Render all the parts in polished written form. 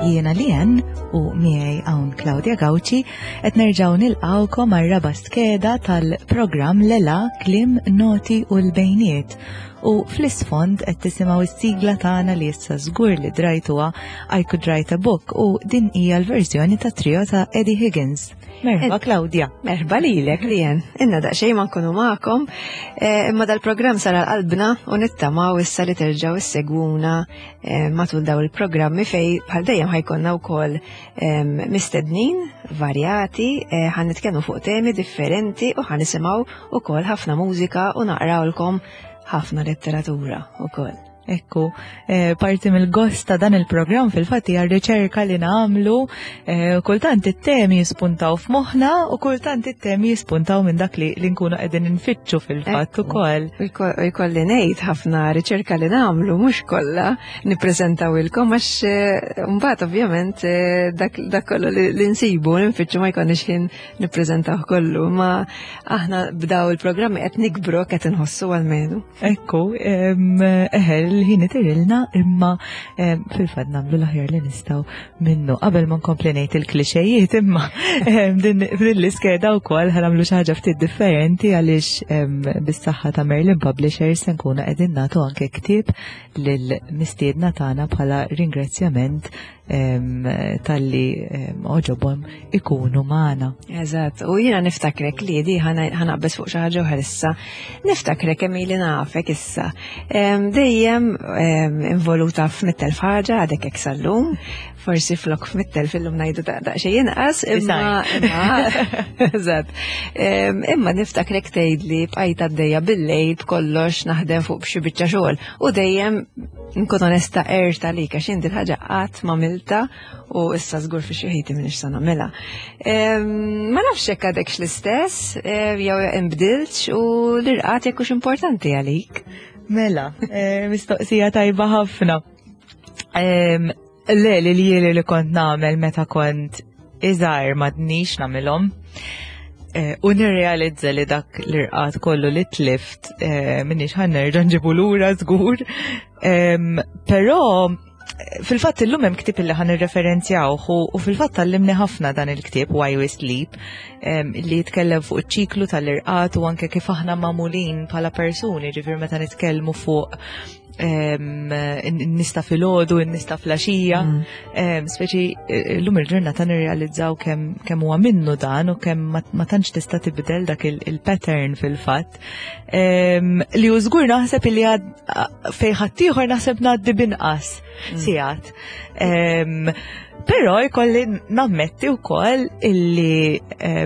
Jiena Lien u miegħi hawn Claudia Gauci qed nerġgħu nilqgħukom għar-raba' skeda tal-programm Lela Kliem Noti u l-Bejniet. U fl-isfond qed tisimgħu s-sigla tagħna li issa żgur li drajtuha I Could Write a Book u din hija l-verżjoni ta' trio ta' Eddie Higgins. Merħba Claudia. Merħba lilek Lien. Inna daqsxejn ma nkunu magħkom, eh, imma dal-programm sar qalbna u nittamaw issa li terġgħu issegwuna eh, matul daw il-programmi fej bħal dejjem ħajkonna wkoll ehm, mistednin varjati, eh, ħan nitkellmu fuq temi differenti u ħan nisimgħu ukoll ħafna mużika u naqrawlkom ħafna letteratura ukoll. Ekku, eh, parti mill-gost ta' dan il-programm fil-fatt hija r-riċerka li nagħmlu, eh, kultant it-temi jispuntaw f'moħħna u kultant it-temi jispuntaw minn dak li nkunu qegħdin infittxu fil-fatt ukoll. U jkolli ngħid ħafna riċerka li nagħmlu mhux kollha nippreżentawilkom għax eh, mbagħad ovvjament dak kollu li nsibu nfittxu ma jkollniex ħin nippreżentaw kollu, ma aħna b'daw il-programmi qed nikbru qed inħossu għalmenu. Ekku, eħe, l-ħin itirilna imma fil-fat namlu l-aħjar li nistaw minnu. Qabel ma nkompli ngħid il-klixejiet imma din l-iskeda wkoll ħanamlu xi ħaġa ftit differenti għaliex bis-saħħa ta' Merlin Publishers se nkunu qegħdin nagħtu anke ktieb lill-mistiedna tagħna bħala ringrazzjament tal-li oġobhom ikunu magħna. Eżatt, u jiena niftakrek li di ħanaqbeż fuq xi ħaġa oħra issa. Niftakrek kemm ili nafek issa. Dejjem involuta f'mittel ħaġa għadek hekk sal-lum, forsi flok f'mittel fil-lum ngħidu daqsxejn inqas, imma eżatt. Imma niftakrek tgħidli bqajt għaddejja bil-lejl b'kollox naħdem fuq xi biċċa xogħol u dejjem Nkun onesta erta li għax jien ħaġa qatt ma milta u issa żgur fi xi ħiti minix se nagħmilha. Ma nafx hekk għadekx l-istess jew inbdiltx u l-irqat jekk hux importanti għalik. Mela, eh, mistoqsija tajba ħafna. Le, li li li kont nagħmel meta kont iżgħar m'għadnix nagħmilhom. Eh, u nirrealizza li dak l-irqat kollu li tlift eh, minix ħan nerġa' nġibu lura żgur. Però fil-fatt illum hemm ktieb li ħan irreferenzjawh u fil-fatt tallimni ħafna dan il-ktieb Why We Sleep li jitkellem fuq iċ-ċiklu tal-irqat u anke kif aħna magħmulin bħala persuni, ġifier meta nitkellmu fuq nista filgħodu, nista flaxija, mm. speċi eh, l-lum il-ġurnata nirrealizzaw kemm huwa minnu dan u kemm ma tantx tista' tibdel dak il-pattern fil-fatt. Li u żgur naħseb li fej ħaddieħor naħseb ngħaddi binqas mm. sigħat. Però jkolli nammetti wkoll illi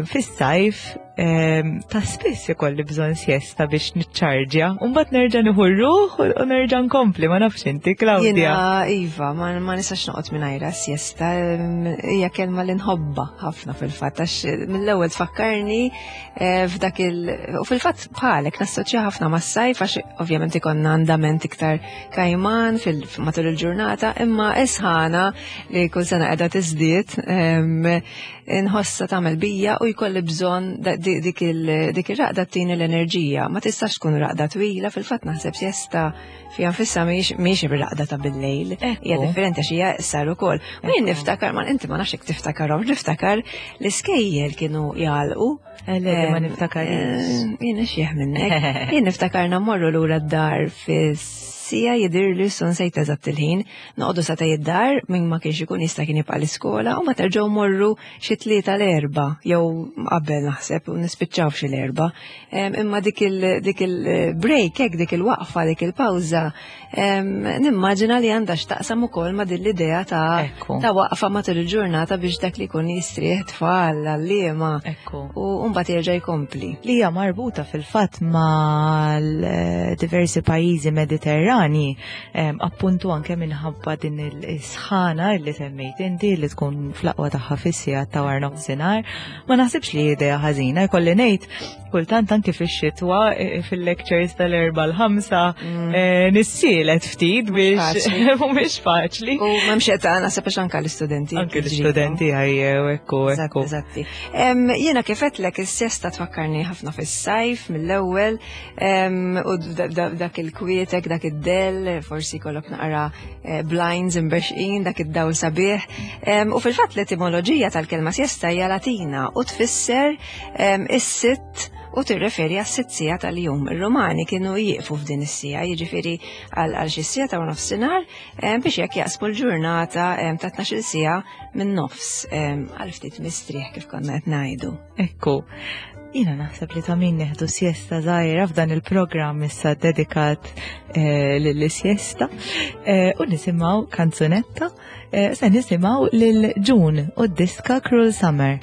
fis-sajf ta' spiss ikolli bżonn siesta biex niċċarġja, u mbagħad nerġa' nieħu ruħ u nerġa' nkompli, ma nafx inti, Claudia. Jiena iva, ma, ma nistax noqgħod mingħajra siesta, hija kelma li nħobba ħafna fil-fatt għax mill-ewwel tfakkarni eh, f'dak il u fil-fatt bħalek nassoċja ħafna mas-sajf għax ovvjament ikonna andament iktar kajman matul il-ġurnata, imma isħana li kull sena qiegħda tiżdied inħossha tagħmel bija u jkolli bżonn dik ir-raqda tini l-enerġija. Ma tistax tkun raqda twila, fil-fatt naħseb siesta fiha nfisha mhijiex raqda ta' bil-lejl. Hija differenti għax hija iqsar ukoll. U jien niftakar, ma inti ma nafx jekk tiftakarhom, niftakar l-iskejjel kienu jagħlqu. Eh, le, ma niftakar. Eh, jien xieħ minnek. Jien niftakarna mmorru lura d-dar fis-sija jidirli sun sejt eżatt il-ħin. Noqogħdu sa tej id-dar min ma kienx ikun jista' kien jibqa' l-iskola u ma terġgħu morru xi tlieta l-erba' jew qabel naħseb u nispiċċaw f'xi l-erba'. Imma dik il-break hekk dik il-waqfa dik il-pawża nimmaġina li għandha x'taqsam ukoll ma' din l-idea ta' ta' waqfa matul il-ġurnata biex dak li jkun jistrieħ tfal għalliema u mbagħad jerġa' jkompli. Li hija marbuta fil-fatt mal-diversi pajjiżi Mediterrani Appuntu anke minħabba din il-sħana li semmejt inti li tkun fl-aqwa tagħha fis-sigħat ta' wara nofsinhar, ma naħsibx li idea ħażina, jkolli ngħid kultant anke fix-xitwa e, e, fil-lectures tal-erba' l-ħamsa mm. e, nissielet ftit biex mhumiex faċli. U m'hemmx età naħseb għax anke l-istudenti. Anke l-istudenti ħajjew ekku ekku. Eżatti. Jiena kif għedtlek is-siesta tfakkarni ħafna fis-sajf mill-ewwel u dak il-kwietek, dak id id-del, forsi jkollok naqra eh, blinds imbexqin dak id-dawl sabiħ. U fil-fatt l-etimoloġija tal-kelma siesta hija Latina u tfisser is-sitt u tirreferi għas-sitt sija tal-jum. Ir-Rumani kienu jieqfu f'din is-sija, jiġifieri għal xi sija ta' nofsinhar biex jekk jaqsmu l-ġurnata ta' 12 sija minn nofs għal ftit mistrieħ kif konna qed ngħidu. Ekku. Jina naħseb li ta' min neħdu siesta żgħira f'dan il-programm issa dedikat eh, lill-siesta eh, u nisimgħu kanzunetta eh, se nisimgħu lil June u d-diska Cruel Summer.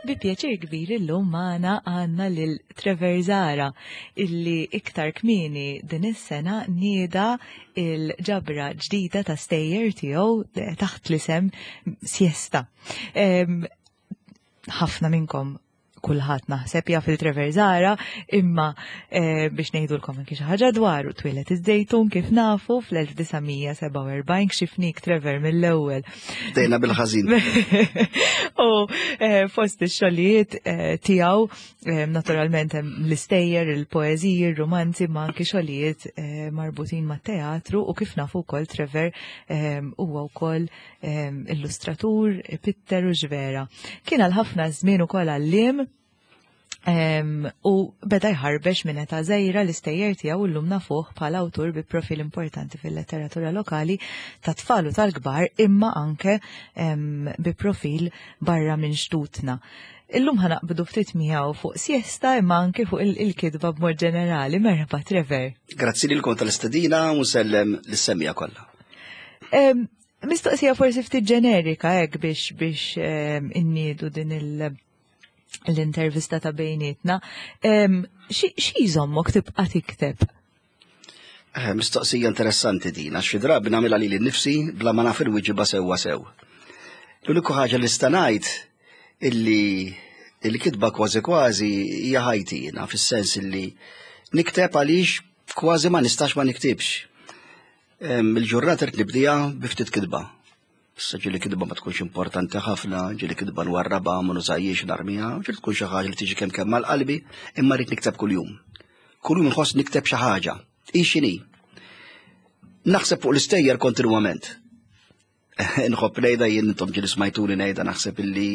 Bi pjaċir kbir illum magħna għandna lil Trevor Zara illi iktar kmieni din is-sena nieda il-ġabra ġdida ta' stejjer tiegħu eh, taħt l-isem Siesta. Ħafna minnkom kulħadd naħseb jaf il-Trevor Zara, imma eh, biex ngħidulkom anki xi ħaġa dwaru twieled iż-Żejtun kif nafu fl-1947 kxifnik Trevor mill-ewwel. Dejna bil-ħażin. U eh, fost ix-xogħlijiet eh, tiegħu naturalment hemm l-istejjer, il-poeżiji, ir-romanzi, ma anki xogħlijiet marbutin mat-teatru u kif nafu wkoll Trevor huwa wkoll illustratur, pitter u ġvera. Kien għal ħafna żmien ukoll għalliem. U beda jħarbex minn età żgħira l-istejjer tiegħu llum nafuh bħala awtur bi profil importanti fil-letteratura lokali ta' tfal u tal-kbar imma anke bi profil barra minn xtutna. Illum ħanaqbdu ftit miegħu fuq siesta imma anke fuq il-kitba b'mod ġenerali. Merħba Trevor. Grazzi lilkom tal-istedina u nsellem lis-semmiegħa kollha. Mistoqsija forsi ftit ġenerika hekk biex biex inniedu din il- l-intervista ta' bejnietna. Xi jżommok tibqa' tikteb? Eh, mistoqsija interessanti din, għax xi drabi nagħmilha lili nnifsi bla ma naf il-wieġiba sewwa sew. L-uniku ħaġa li sta ngħid illi il-kitba kważi kważi hija ħajti jiena fis-sens illi nikteb għaliex kważi ma nistax ma niktibx. Il-ġurnata rrid nibdija bi ftit kitba. Issa ġieli kitba ma tkunx importanti ħafna, ġieli kitba nwarrabha ma nużajiex narmiha, ġieli tkun xi ħaġa li tiġi kemm kemm mal-qalbi, imma rrid nikteb kuljum. Kuljum nħoss nikteb xi ħaġa. Hi x'inhi. Naħseb fuq l-istejjer kontinwament. Nħobb ngħidha jien intom ġieli smajtuni ngħidha naħseb illi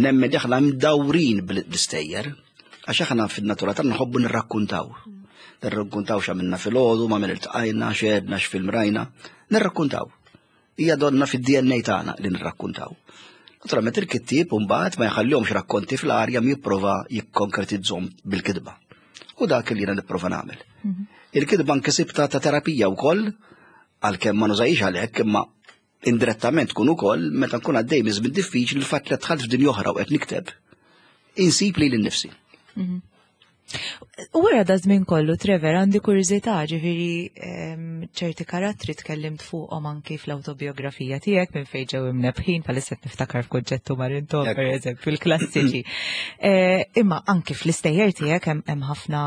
nemmen li aħna mdawrin bl-istejjer. Għax aħna fin-natura tagħna nħobbu nirrakkuntaw. Nirrakkuntaw x'għamilna filgħodu, ma' min iltqajna, x'għedna, x'film rajna. Nirrakkuntaw. Hija donna fid-DNA tagħna li nirrakkuntaw. Naturalment il-kittieb mbagħad ma jħallihomx rakkonti fl-arja jipprova jikkonkretizzhom bil-kitba. U dak li jiena nipprova nagħmel. Mhm. Il-kitba nkisibta ta' terapija wkoll għalkemm ma nużajx għalhekk imma indirettament tkun ukoll meta nkun għaddej minn żmien diffiċli l-fatt li dħalt f'dinja oħra u qed nikteb insib lili nnifsi. Mhm. U wara da żmien kollu, Trevor, għandi kurżità, ġifieri ċerti karattri tkellimt fuqhom anki fl-awtobiografija tiegħek minn fejn ġew imnebħin, bħalissa qed niftakar f'kunċettu Marinto, per eżempju, il-klassiċi. Eh, imma anki fl-istejjer tiegħek hemm ħafna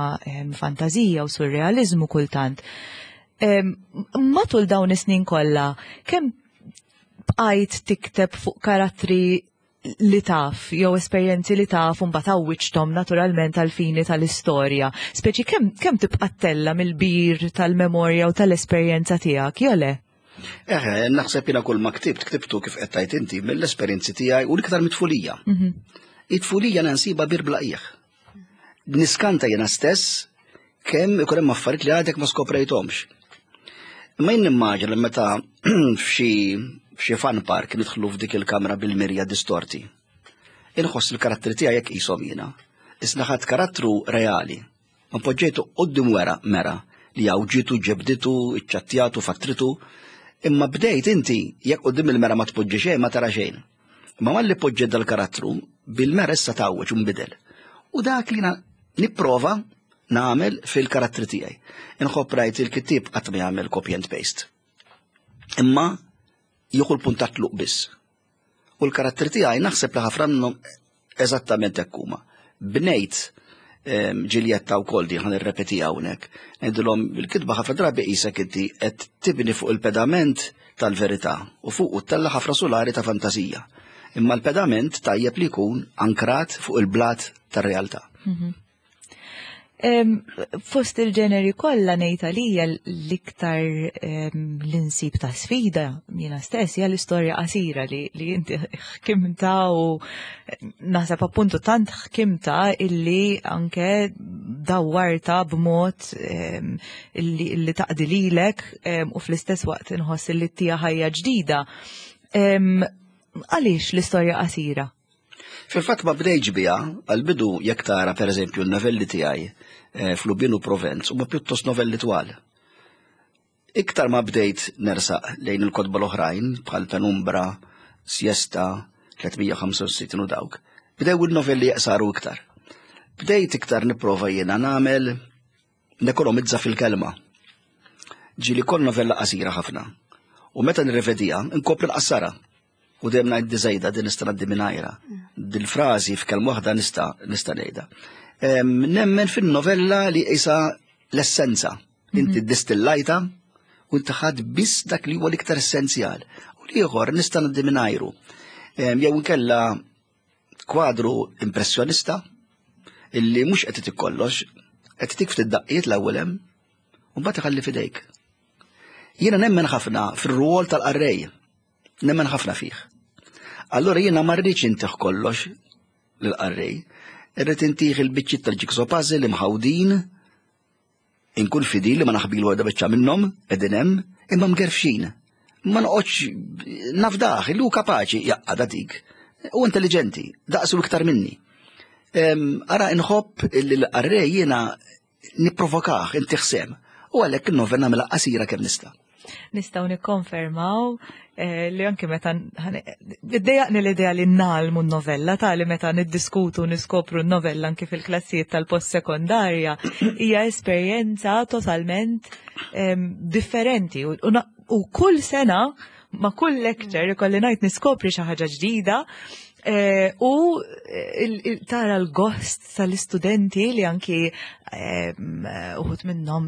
fantażija u surrealiżmu kultant. Matul dawn is-snin kollha, kemm bqajt tikteb fuq karattri li taf, jew esperjenzi li taf u mbagħad għawwiġthom naturalment għall-fini tal-istorja. Speċi kemm kemm tibqa' ttella' mill-bir tal-memorja u tal-esperjenza tiegħek, jew le? Eħe, naħseb jiena kull ma ktibt, ktibtu kif qed tgħid inti mill-esperjenzi tiegħi u l-iktar mit-tfulija. Mhm. It-tfulija nsiba bir bla qiegħ. Niskanta jiena stess kemm ikun hemm affarijiet li għadek ma skoprejthomx. Imma jien nimmaġina li meta f'xi f'xi fun park nidħlu f'dik il-kamra bil-mirja distorti. Inħoss il-karattri tiegħi jekk qishom jiena. Isna ħadd karattru reali. Ma poġġejtu qudiem wera mera li għawġitu, ġebditu, iċċattjatu, fattritu. Imma bdejt inti jekk qudiem il-mera ma tpoġġi xejn ma tara xejn. Imma malli poġġiet dal-karattru, bil-mera issa tgħawweġ u nbidel. U dak li nipprova nagħmel fil-karattri tiegħi. Inħobb rajt il-kittieb qatt ma jagħmel copy and paste. Imma jieħu l-punt ta' tluq biss. U l-karattri tiegħi naħseb li ħafna minnhom eżattament hekk huma. Bnejt ehm, Ġiljetta wkoll din ħan irrepeti hawnhekk. Ngħidilhom il-kitba ħafna drabi qisek inti qed tibni fuq il-pedament tal-verità u fuq tella ħafna sulari ta' fantasija. Imma l-pedament tajjeb li jkun ankrat fuq il-blat tar-realtà. Mhm. Fost il-ġeneri kollha ngħid għalija l-iktar l-insib ta' sfida jiena stess hija l-istorja qasira li, li inti ħkimta u naħseb appuntu tant ħkimta illi anke dawwarta b'mod illi, illi taqdi lilek u fl-istess waqt inħoss illi tija ħajja ġdida. Għaliex l-istorja qasira? Fil-fatt ma bdejtx biha, għall-bidu jekk tara pereżempju n-novelli tiegħi eh, f'Lubin u Provenz huma pjuttost novelli twal. Iktar ma bdejt nersaq lejn il-kotba l-oħrajn bħal Penumbra, Siesta, 365 u dawk, bdew il-novelli jaqsaru iktar. Bdejt iktar nipprova jiena nagħmel nekonomizza fil-kelma. Ġieli kol novella qasira ħafna. U meta nirrevedija, nkopri nqassara. U dejjem ngħid diżejda din nista' ngħaddi mingħajra. Dil-frażi f'kelma waħda nista' nista' ngħidha. Nemmen fin-novella li qisha l-essenza. Inti mhm. distillajta u inti ħadd biss dak li huwa l-iktar essenzjal. U l-ieħor nista' ngħaddi mingħajru. Jew inkella kwadru impressjonista illi mhux qed itik kollox, qed itik ftit daqqiet l-ewwel hemm, u mbagħad iħalli fidejk. Jiena nemmen ħafna fir-rwol tal-qarrej, nemmen ħafna fih. Allura jiena ma rridx intih kollox lill-qarrej. Irrid intih il-biċċiet tal-jigsaw puzzle imħawdin, inkun fidil li ma naħbilu għadha biċċa minnhom, qegħdin hemm, imma mgerfxin. Ma noqgħodx nafdaħ, illu kapaċi jaqqa' dik. U intelligenti, daqsu iktar minni. Ara nħobb li l-qarrej jiena nipprovokah, intih sem. U għalhekk il-novella nagħmilha qasira kemm nista'. Nistgħu nikkonfermaw eh, li anke meta iddejjaqni l-idea li nagħlmu n-novella tali meta niddiskutu niskopru n-novella anke fil-klassijiet tal-post sekondarja hija esperjenza totalment differenti u kull sena ma' kull lecture ikolli ngħid niskopri xi ħaġa ġdida eh, u eh, tara l-gost tal-istudenti li anki uħud minnhom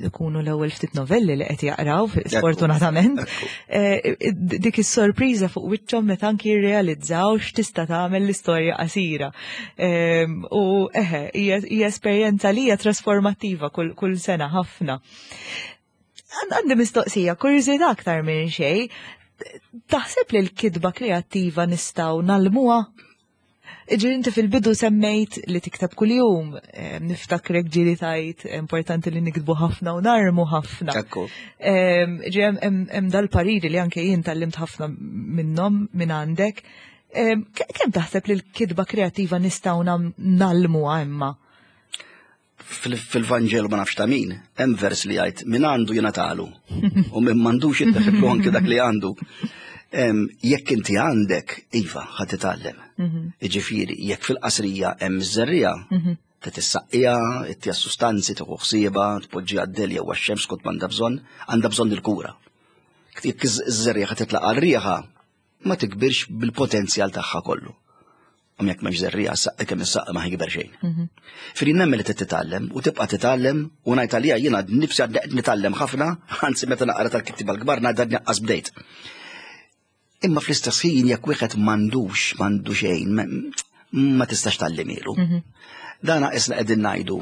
ikunu l-ewwel ftit novelli li qed jaqraw sfortunatament. Eh, dik is-sorpriża fuq wiċċhom meta anki jirrealizzaw x'tista' tagħmel l-istorja qasira. Ehm, u eħe, hija esperjenza li hija trasformattiva kull sena ħafna. Għandi mistoqsija, kurżità aktar minn xejn, taħseb li l-kitba kreattiva nistgħu nagħlmuha? Ġifieri inti fil-bidu semmejt li tikteb kuljum, eh, niftakrek ġieli tajt importanti li niktbu ħafna u narmu ħafna. Eh, ġi hemm dal-pariri li anke jien tgħallimt ħafna minnhom minn għandek. Eh, kemm taħseb li l-kitba kreattiva nistgħu nagħlmuha imma? Fil-Vanġelu ma nafx ta' min, hemm vers li jgħid min għandu jingħatalu u min m'għandux jitteħidlu anki dak li għandu. Jekk inti għandek, iva, ħa titgħallem. Mhm. Jiġifieri, jekk fil-qasrija hemm iż-żerriegħa, mhm. tissaqqiha, ittiha sustanzi, tieħu ħsiebha, tpoġġi għad-dell jew għax-xemx skont m'għandha bżonn, għandha bżonn il-kura. Jekk iż-żerriegħa titlaqa' r-riħa, ma tikbirx bil-potenzjal tagħha kollu. U jekk m'hemmx żerriegħa saqqi kemm is-saqqa ma ħikber xejn. Mhm. Fri nemmen li titgħallem u tibqa' titgħallem u ngħid għalija jiena nifsi għad nitgħallem ħafna, anzi meta naqra tal-kittiba l-kbar ngħid għadni qas bdejt. Imma fl-istess ħin jekk wieħed m'għandux m'għandu xejn ma tistax tgħallimilu. Mhm. Dana isna qegħdin ngħidu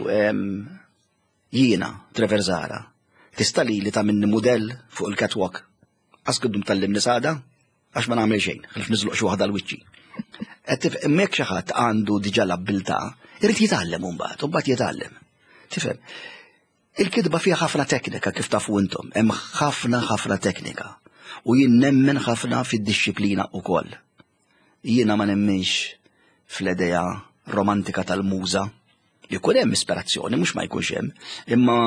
jiena Trevor Zara tista' li li tagħmilni mudell fuq il-catwalk Qas kuddum tallimni sada, għax ma nagħmel xejn, ħlif niżloq xi waħda l-wiċċi. Qed imma jekk xi ħadd għandu diġà l-abbiltà, irid jitgħallem imbagħad, u mbagħad jitgħallem. Tifhem? Il-kitba fiha ħafna teknika kif tafu intom, hemm ħafna ħafna teknika. U jien nemmen ħafna fid-dixxiplina ukoll. Jiena ma nemminx fl-idea romantika tal-muża. Jkun hemm ispirazzjoni, mhux ma jkunx hemm, imma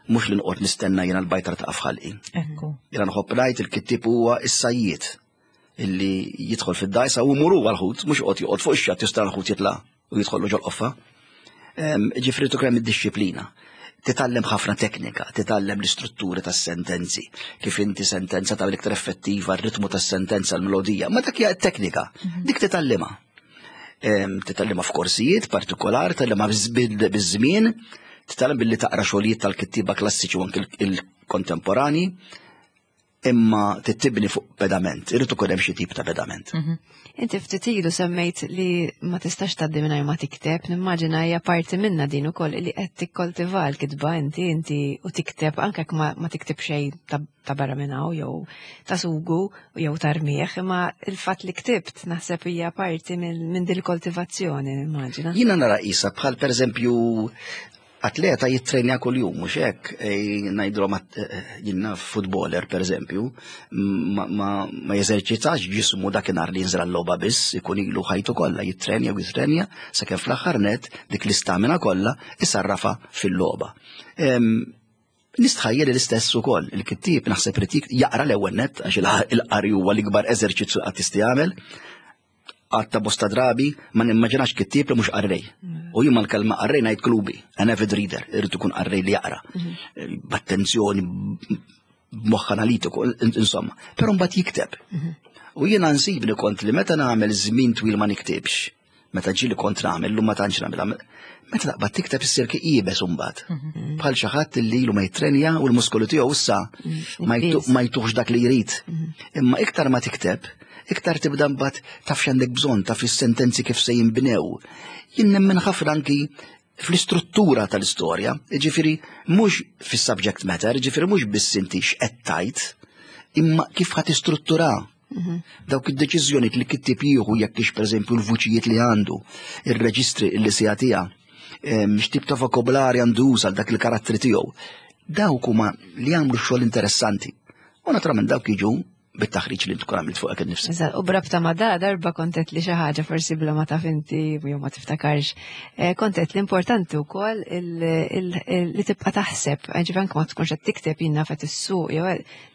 mhux li noqgħod nistenna jiena l-bajtra ta' f'ħalqi. Ekku. Jiena nħobb ngħid il-kittieb huwa is-sajjied illi jidħol fid-dajsa u muru għal-ħut, mhux joqgħod joqgħod fuq ix-xatt jista' l-ħut jitla' u jidħollu ġol-qoffa. Ġifieri tkun id-dixxiplina. Titgħallem ħafna teknika, titgħallem l-istrutturi tas-sentenzi, kif inti sentenza ta' l-iktar effettiva, r-ritmu tas-sentenza, l-melodija, ma dak hija teknika, mhm. dik titgħallimha. Titgħallimha f'korsijiet partikolari, titgħallimha biż-żmien, titgħallem billi taqra xogħlijiet tal-kittieba klassiċi u anke il-kontemporani, imma tibni fuq pedament, irid ikun hemm xi tip ta' pedament. Mhm. Inti ftit ilu semmejt li ma tistax tgħaddi mingħajr ma tikteb, nimmaġina hija parti minna din ukoll li qed tikkoltiva l-kitba inti inti u tikteb anke jekk ma, ma tikteb xejn ta', ta barra minn hawn jew ta' sugu jew ta' rmieħ, imma il-fatt li ktibt naħseb hija parti minn min din il-koltivazzjoni, nimmaġina. Jiena nara qisha bħal pereżempju Atleta jittrenja kuljum, mhux hekk, ngħidulhom jiena footballer pereżempju, ma jeżerċitax ġismu dakinhar li jinżel għal-logħba biss, ikun ilu ħajtu kollha jittrenja u jittrenja sakemm fl-aħħar net dik l-istamina kollha isarrafha fil-logħba. Nistħajjel l-istess ukoll, il-kittieb naħseb irid jaqra l-ewwel net għax il-qari huwa l-ikbar eżerċizzju qatt tista' jagħmel, Għatta bosta drabi ma nimmaġinax kittieb li mhux qarrej. U jien mal-kelma qarrej ngħid klubi, an avid reader, irid ikun qarrej li jaqra. Mhm. B'attenzjoni, b'moħħ analitiku, insomma. Però mbagħad jikteb. Mhm. U jiena nsibni kont li meta nagħmel żmien twil ma niktibx, meta ġieli kont nagħmel, lum ma tantx nagħmel, meta taqbad tikteb issir iebes imbagħad. Mhm. Bħal xi ħadd li ilu ma jittrenja u l-muskolu tiegħu issa ma jtuħx dak li jrid. Imma iktar ma tikteb, iktar tibda mbagħad taf x'għandek bżonn, taf is-sentenzi kif se jinbnew. Jien nemmen ħafna anki fl-istruttura tal-istorja, jiġifieri mhux fis-subject matter, jiġifieri mhux biss inti x'qed tgħid, imma kif ħa tistruttura. Mhm. Dawk id-deċiżjonijiet li kittib jieħu jekk ix pereżempju l-vuċijiet li għandu, ir-reġistri li se jagħtiha, x'tip ta' vokabolari għandu juża dak il-karattri tiegħu. Dawk huma li jagħmlu xogħol interessanti. U naturalment dawk jiġu bit-taħriġ li tkun għamilt fuqek innifsek. Eżatt, u brabta ma da darba kontet li xi ħaġa forsi bla ma taf inti jew ma tiftakarx. Eh, kontet l-importanti wkoll li tibqa' taħseb, eh, ġifier anke ma tkunx qed tikteb jien naf qed issuq jew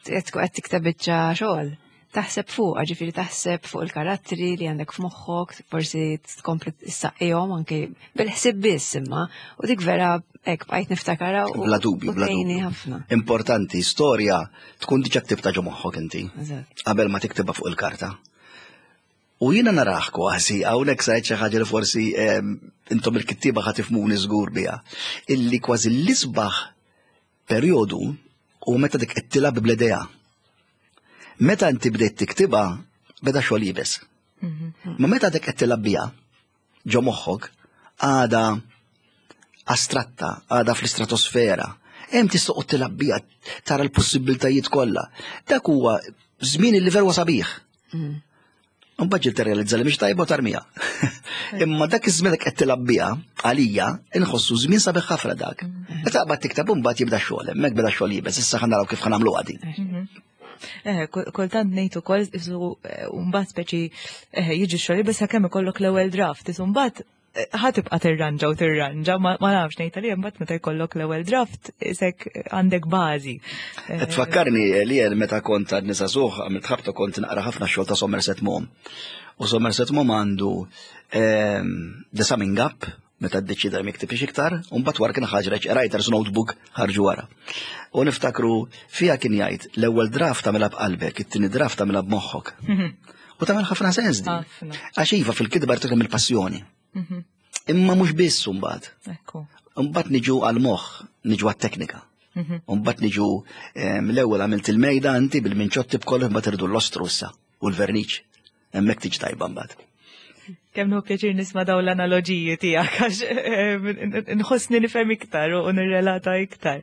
qed tikteb biċċa xogħol. Taħseb fuq, ġifieri taħseb fuq il-karattri li għandek f'moħħok, forsi tkompli tsaqqihom anke bil-ħsieb biss imma, u dik vera hekk bqajt niftakarha u Bla dubju, bla tgħinni dubju. ħafna. Importanti, storja tkun diġà ktibta ġo moħħok inti. Eżatt. Qabel ma tiktibha fuq il-karta. U jiena narah kważi, hawnhekk sajt xi ħaġa li forsi ehm, intom il-kittieba ħa tifhmuni żgur biha, illi kważi l-isbaħ perjodu u meta dik qed tilgħab bl-idea. Meta inti bdejt tiktibha, beda xogħol iebes. Mhm. Ma meta dik qed tilgħab biha ġo moħħok għada astratta, għada fl-istratosfera. Hemm tista' toqgħod tilgħab biha tara l-possibbiltajiet kollha. Dak huwa żmien li veru sabiħ. Mm. Mbagħad ġiet tirrealizza li mhix tajba u tarmija. Imma dak iż-żmien qed tilgħab biha għalija inħossu żmien sabiħ ħafna dak. Mm. Meta qabad tikteb imbagħad jibda x-xogħol, hemmhekk beda x-xogħol jibes, issa ħa naraw kif ħa nagħmlu għadi. Mhm. Eh, kultant ngħid ukoll isu eh, mbagħad speċi eh, jiġi x-xogħol jibes sakemm ikollok l-ewwel draft, isu mbagħad ħa tibqa' tirranġa u tirranġa, ma nafx ngħid għalija mbagħad meta jkollok l-ewwel draft isek għandek bażi. Eh, tfakkarni li jien meta kont għad nisa suħ għamilt ħabta kont naqra ħafna xogħol ta' Somerset Maugham. U Somerset Maugham għandu ehm, The Summing Up, meta ddeċida li miktibx iktar, u mbagħad wara kien ħaġreġ Writer's Notebook ħarġu wara. U niftakru fiha kien jgħid l-ewwel draft tagħmilha b'qalbek, it-tieni draft tagħmilha b'moħħok. U tagħmel ħafna sens din. Għax iva fil-kitba tkun il-passjoni. Mhm. Imma mhux biss imbagħad. Imbagħad niġu għall-moħħ, niġu għat-teknika. Mhm. Imbagħad niġu ehm, l-ewwel għamilt il-mejda inti bil-minċotti b'kollox imbagħad irdu l-ostru issa u l-verniċ. Hemmhekk tiġi tajba mbagħad. Kemm nħu pjaċir nisma' dawn l-analoġiji tiegħek għax eh, nħossni nifhem iktar u nirrelata iktar.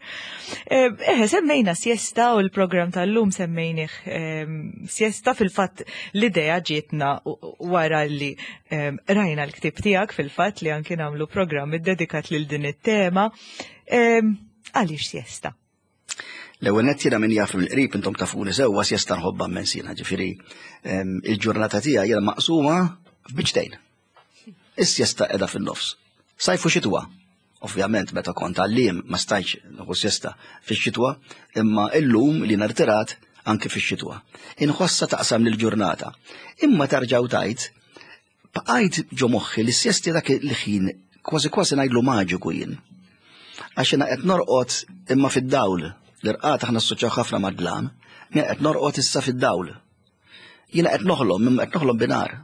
Eh, eh semmejna siesta u l-programm tal-lum semmejnih ehm, siesta fil-fatt l-idea ġietna wara li ehm, rajna l-ktieb tiegħek fil-fatt li anki nagħmlu programm iddedikat lil din it-tema. Ehm, għaliex siesta? L-ewwel nett jiena min jaf mill-qrib intom tafuni sewwa sjesta nħobbha immens jiena, ġifieri ehm, il-ġurnata tiegħi jiena maqsuma f'biċtejn. Is-sjesta qiegħda fin-nofs. Sajfu xitwa. Ovvjament meta kont għalliem ma stajtx nieħu sjesta fix-xitwa, imma illum li nartirat anke fix-xitwa. Inħossa taqsam lill-ġurnata. Imma tarġaw tajt Bqajt ġo moħħi li s-sjesti dak il-ħin kważi kważi ngħidlu maġiku jien. Għax jiena qed norqod imma fid-dawl. L-irqad aħna assoċjaw ħafna mad-dlam, jien qed norqod issa fid-dawl. Jiena qed noħlom imma qed noħlom binar.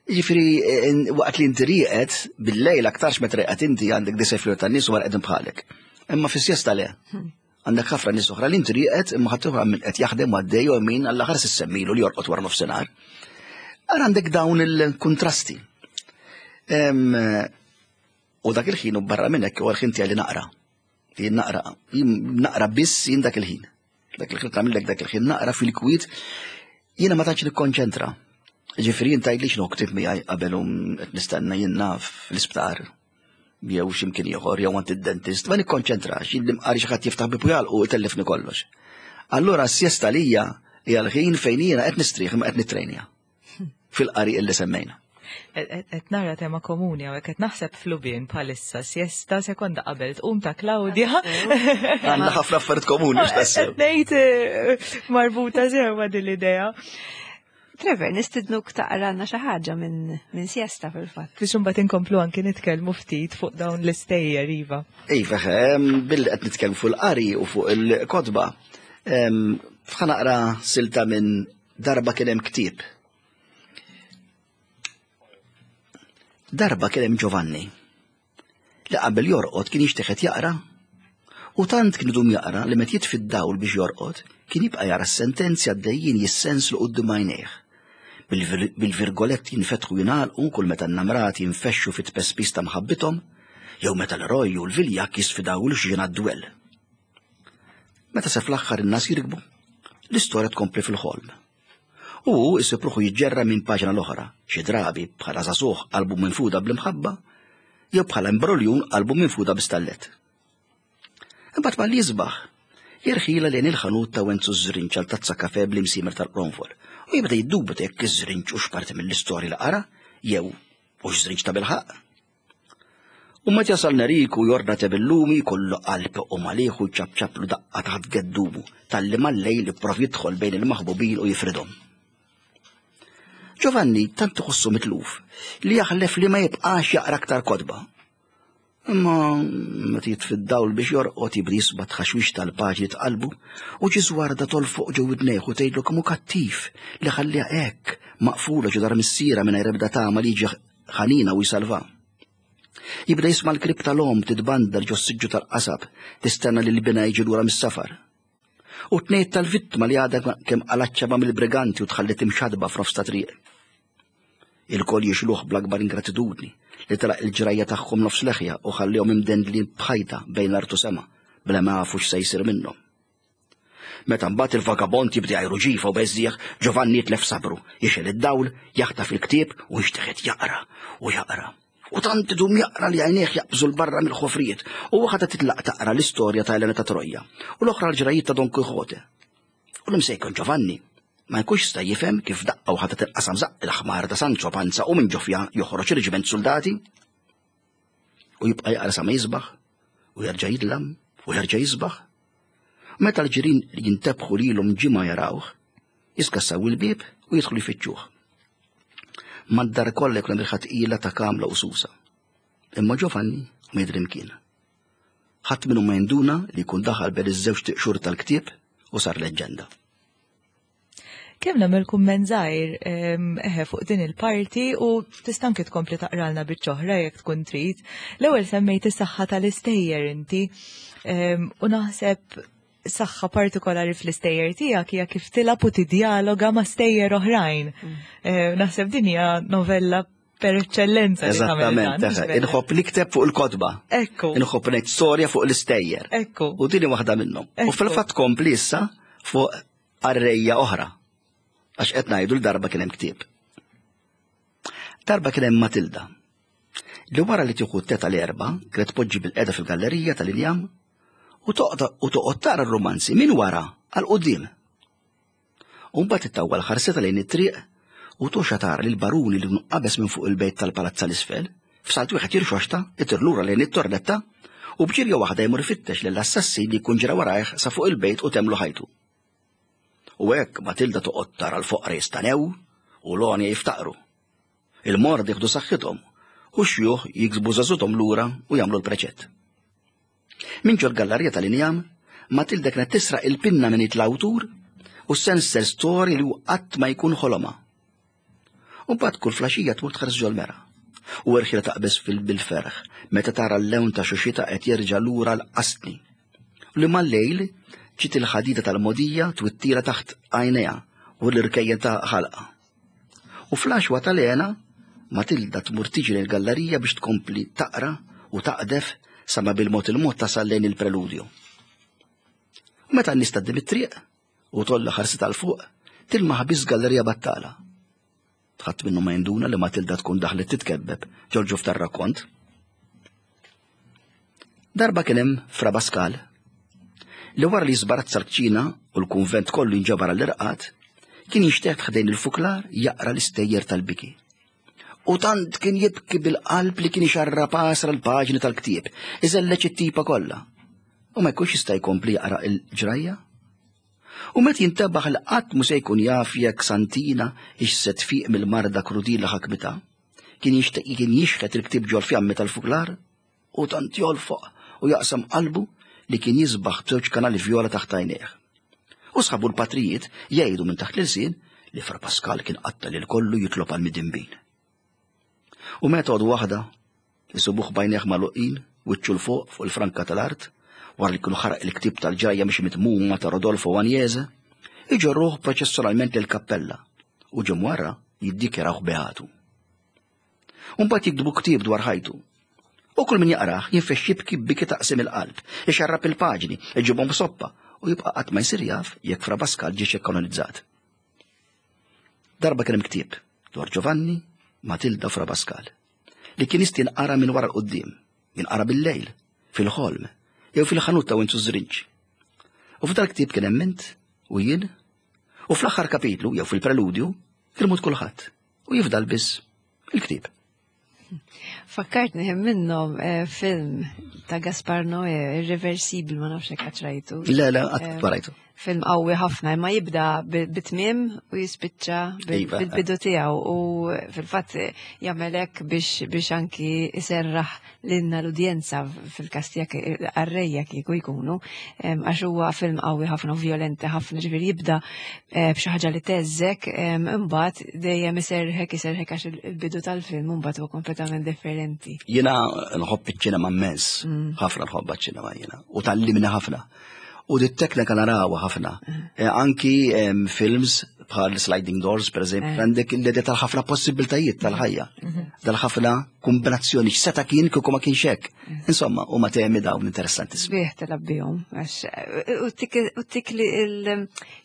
Jiġifieri waqt li inti rieqed bil-lejl aktarx meta rieqed inti għandek disa' fjur tan-nies u qegħdin bħalek. Imma fis-sjesta le. Hmm. Għandek ħafna nies oħra li inti rieqed imma ħadd oħra min qed jaħdem għaddej u min għall aħħar semmilu li jorqod wara nofsinhar. Ara għandek dawn il-kuntrasti. U dak il-ħin u barra minn hekk huwa l-ħin tiegħi li naqra. Jien naqra, jien naqra biss jien dak il-ħin. Dak il-ħin tagħmillek dak il-ħin naqra fil-kwiet jiena ma tantx nikkonċentra. Ġifieri jien tgħidli x'inhu ktib miegħi qabel u qed nistenna jien naf l-isptar jew x'imkien ieħor jew għand id-dentist, ma nikkonċentrax, jien li mqari xi ħadd jiftaħ bibu jagħlqu itellifni kollox. Allura s-siesta lija hija l-ħin fejn jiena qed nistrieħ imma qed nittrejnja fil-qari illi semmejna. Qed nara tema komuni hawnhekk qed naħseb flubien bħalissa siesta sekonda qabel tqum ta' Claudia. Għandna ħafna affarijiet komuni x'tassew. Qed ngħid eh, marbuta sewa din l-idea. Trevor, nistidnuk taqranna xi ħaġa minn min siesta fil-fatt. Biex imbagħad inkomplu anki nitkellmu ftit fuq dawn l-istejjer iva. Iva, billi qed nitkellmu fuq il-qari u fuq il-kotba. F'ħa naqra silta minn darba kien hemm ktieb. Darba kien hemm Giovanni li qabel jorqod kien jixtieq jaqra u tant kien idum jaqra li meta jitfi d-dawl biex jorqod kien jibqa' jara s-sentenzi għaddejjin jissenslu quddiem għajnejh. Bil-virgoletti jinfetħu jingħalqu kull meta n-namrati jinfexxu fit-tpespis ta' mħabbithom jew meta l-eroj u l-viljakk jisfidaw 'l xi għad-dwell. Meta se fl-aħħar in-nas jirkbu, l-istorja tkompli fil-ħolm. U hu jsib ruħu jiġġerra minn paġna l-oħra, xi drabi bħala żagħżugħ qalbu minfuda bl-imħabba, jew bħala imbroljun qalbu minfuda bi stallet. Imbagħad malli jisbaħ, jirħilha lejn il-ħanut ta' Wenzu ż-Żrinġ għal tazza kafè bl-imsiemer tal-qronfol u jibda jiddubita jekk iż-żrinġ hux parti mill-istorja li qara jew hux żrinġ ta' bilħaqq. U meta jasal Neriku jordna te bil-lumi kollu qalb u malih u ċapċaplu daqqa taħt geddumu talli mal-lejl ipprov jidħol bejn il-maħbubin u jifridhom. Giovanni tant iħossu mitluf li jaħlef li ma jibqax jaqra aktar kotba. Imma meta jitfi d-dawl biex jorqod jibda jisma' tħaxwix tal-paġni tqalbu u ġi żwarda tolfoq ġo widnejh u tgħidlu kemm hu kattiv li ħalliha hekk maqfula ġo dar missiera mingħajr ebda tama li jiġi ħanina u jsalva. Jibda jisma' l-krib tal-omm titbandal ġo s-siġġu tal-qasab tistenna li l-bina jiġi lura mis-safar. U tnejt tal-vittma li għadha kemm qalgħet mill-briganti u tħallit imxadba f'nofs ta' triq. Ilkoll jixluh bl-akbar ingratitudni li telaq il-ġrajja tagħhom nofs leħja u ħallihom imdendlin b'ħajta bejn l-art u sema bla ma jafu x'se jsir minnhom. Meta mbagħad il-vagabond jibda jgħajru ġifa u beżżieħ, Giovanni jitlef sabru, jixgħel id-dawl, jaħtaf il-ktieb u jinxteħet jaqra u jaqra. U tant idum jaqra li għajnejh jaqbżu 'l barra mill-ħofrijiet u waħda titlaq taqra l-istorja ta' Elena ta' Troja u l-oħra l-ġrajiet ta' Don Quixote. U l-imsejken Giovanni ma jkunx jista' jifhem kif daqqa waħda tinqasam żaqq il-ħmar ta' Sancho Panza u minn ġofja joħroġ reġiment soldati. U jibqa' jaqra sa ma jisbaħ u jerġa' jidlam u jerġa' jisbaħ. Meta l-ġirien jintebħu lilhom ġimgħa jarawh, jiskassaw il-bieb u jidħlu jfittxuh. Mad-dar kollha jkun hemm riħa tqila ta' kamla u susa. Imma Giovanni ma jidri mkien. Ħadd minnhom ma jinduna li jkun daħal bejn iż-żewġ tiqxur tal-ktieb u sar leġġenda. Kemm nagħmel kumment żgħir eħe fuq din il-parti u tista' anke tkompli taqralna biċċa oħra jekk tkun trid. L-ewwel semmejt is-saħħa tal-istejjer inti u naħseb saħħa partikolari fl-istejjer tiegħek hija kif tilgħab u tidjaloga ma' stejjer oħrajn. Naħseb din hija novella per eccellenza. Eżattament, inħobb nikteb fuq il-kotba. Ekku. Inħobb ngħid storja fuq l-istejjer. Ekku. U din waħda minnhom. U fil-fatt kompli issa fuq qarrejja oħra. Għax qed ngħidu l-darba kien hemm ktieb. Darba kien hemm Matilda. Li wara li tieħu t-teta l-erba, kienet tpoġġi bil-qeda fil-gallerija tal-injam u toqgħod tara r-romanzi minn wara għal quddiem. U mbagħad ittawwal ħarsitha lejn it-triq u toxa tara lil baruni li qabeż minn fuq il-bejt tal-palazza l-isfel, f'salt wieħed jirxoxta, itir lura lejn it-tornetta u b'ġirja waħda jmur ifittex lill-assassin li jkun ġra warajh sa fuq il-bejt u temlu ħajtu. U hekk Matilda toqgħod tara l-foqra jistanew u l-għonja jiftaqru. Il-morda jieħdu saħħithom u x-xjuħ jiksbu żagħżuthom lura u jagħmlu l-preċett. Minn ġol-gallarija tal-injam, Matilda kienet tisraq il-pinna minn id l-awtur u ssenser storji li hu qatt ma jkun ħolomha. U mbagħad kull flaxija tmur tħares ġol-mera. U erħila taqbeż bil-ferħ meta tara l-lewn ta' xuxita qed jerġa' lura l-qasni. U li mal-lejl ġiet il-ħadida tal-mogħdija twittila taħt għajnejha u l-irkejjen ta' ħalqha. U fl-għaxwa tal-hena, Matilda tmur tiġri l-gallerija biex tkompli taqra u taqdef sa ma bil-mod il-mod tasal lejn il-preludju. U meta n-nies tgħaddi mit-triq u tolla ħarsitha 'l fuq, tilmaħ biss gallerija battala. Ħadd minnu ma jinduna li Matilda tkun daħlet titkebbeb ġol-ġuf tar-rakkont. Darba kien hemm Fra Pascal li wara li żbarazza l-kċina u l-kunvent kollu jinġabar għall-irqad, kien jinxteħet ħdejn il-fuklar jaqra l-istejjer tal-biki. U tant kien jibki bil-qalb li kien ixarrab għasra l-paġni tal-ktieb, iżelleġ it-tipa kollha. U ma jkunx jista' jkompli jaqra l-ġrajja. U meta jintebaħ li qatt mhu se jkun jaf jekk Santina hix se tfiq mill-marda krudila ħakmitha, kien jixtieq kien jixħet il-ktieb ġol-fjammi tal-fuklar u tant jolfoq u jaqsam qalbu li kien jisbaħ b'żewġ kanali vjola taħt għajnejh. U sħabu l-patrijiet jgħidu minn taħt l-ilsien li Fra Pascal kien qatta lil kollu jitlob għal midinbin. U meta għodu waħda, isibuh b'għajnejh magħluqin, wiċċu 'l fuq fuq il-franka tal-art, wara li kienu ħaraq il-ktieb tal-ġrajja mhix mitmuma ta' Rodolfo Agnese, iġorruh proċessionalment lill-kappella u ġim wara jiddikjarawh beatu. U mbagħad jiktbu ktieb dwar ħajtu. U kull min jaqrah jinfexx jibki biki taqsim il-qalb, ixarrab il-paġni, iġibhom soppa u jibqa' qatt ma jsir jaf jekk Fra Pascal ġiex ikkanonizzat. Darba kien hemm ktieb dwar Giovanni, Matilda Fra Pascal, li kien jista' jinqara minn wara l-quddiem, jinqara bil-lejl, fil-ħolm, jew fil-ħanut ta' Winzu Żrinġ. U f'dal-ktieb kien hemm int u jien, u fl-aħħar kapitlu jew fil-preludju kien imut kulħadd u jifdal biss il-ktieb. Fakkartni hemm minnhom eh, film ta' Gaspar Noé, Irreversibl, ma nafx hekk rajtu. Le, le, qatt eh, rajtu. Film qawwi ħafna, imma jibda bit-tmiem u jispiċċa iva, bil-bidu eh. tiegħu u fil-fatt jagħmel hekk biex biex anki iserraħ lilna l-udjenza fil-każ tiegħek qarrejja kieku jkunu għax huwa film qawwi ħafna u vjolenti ħafna ġifieri jibda eh, b'xi ħaġa li teżżek imbagħad dejjem iserħek iserħek għax il-bidu tal-film imbagħad huwa kompletament differenti. Jiena nħobb iċ-ċinema immens, mm. ħafna nħobb iċ-ċinema jiena u tallimni ħafna. U dit teknika narawha ħafna. Mm. Eh, anki films bħal sliding doors, per eżempju, eh. għandek l-idea tal-ħafna possibiltajiet tal-ħajja, mhm. tal-ħafna kombinazzjoni x'seta' kien kieku ma kienx hekk. Mhm. Insomma, huma temi dawn interessanti. Sbieħ tilab bihom, għax u tik li il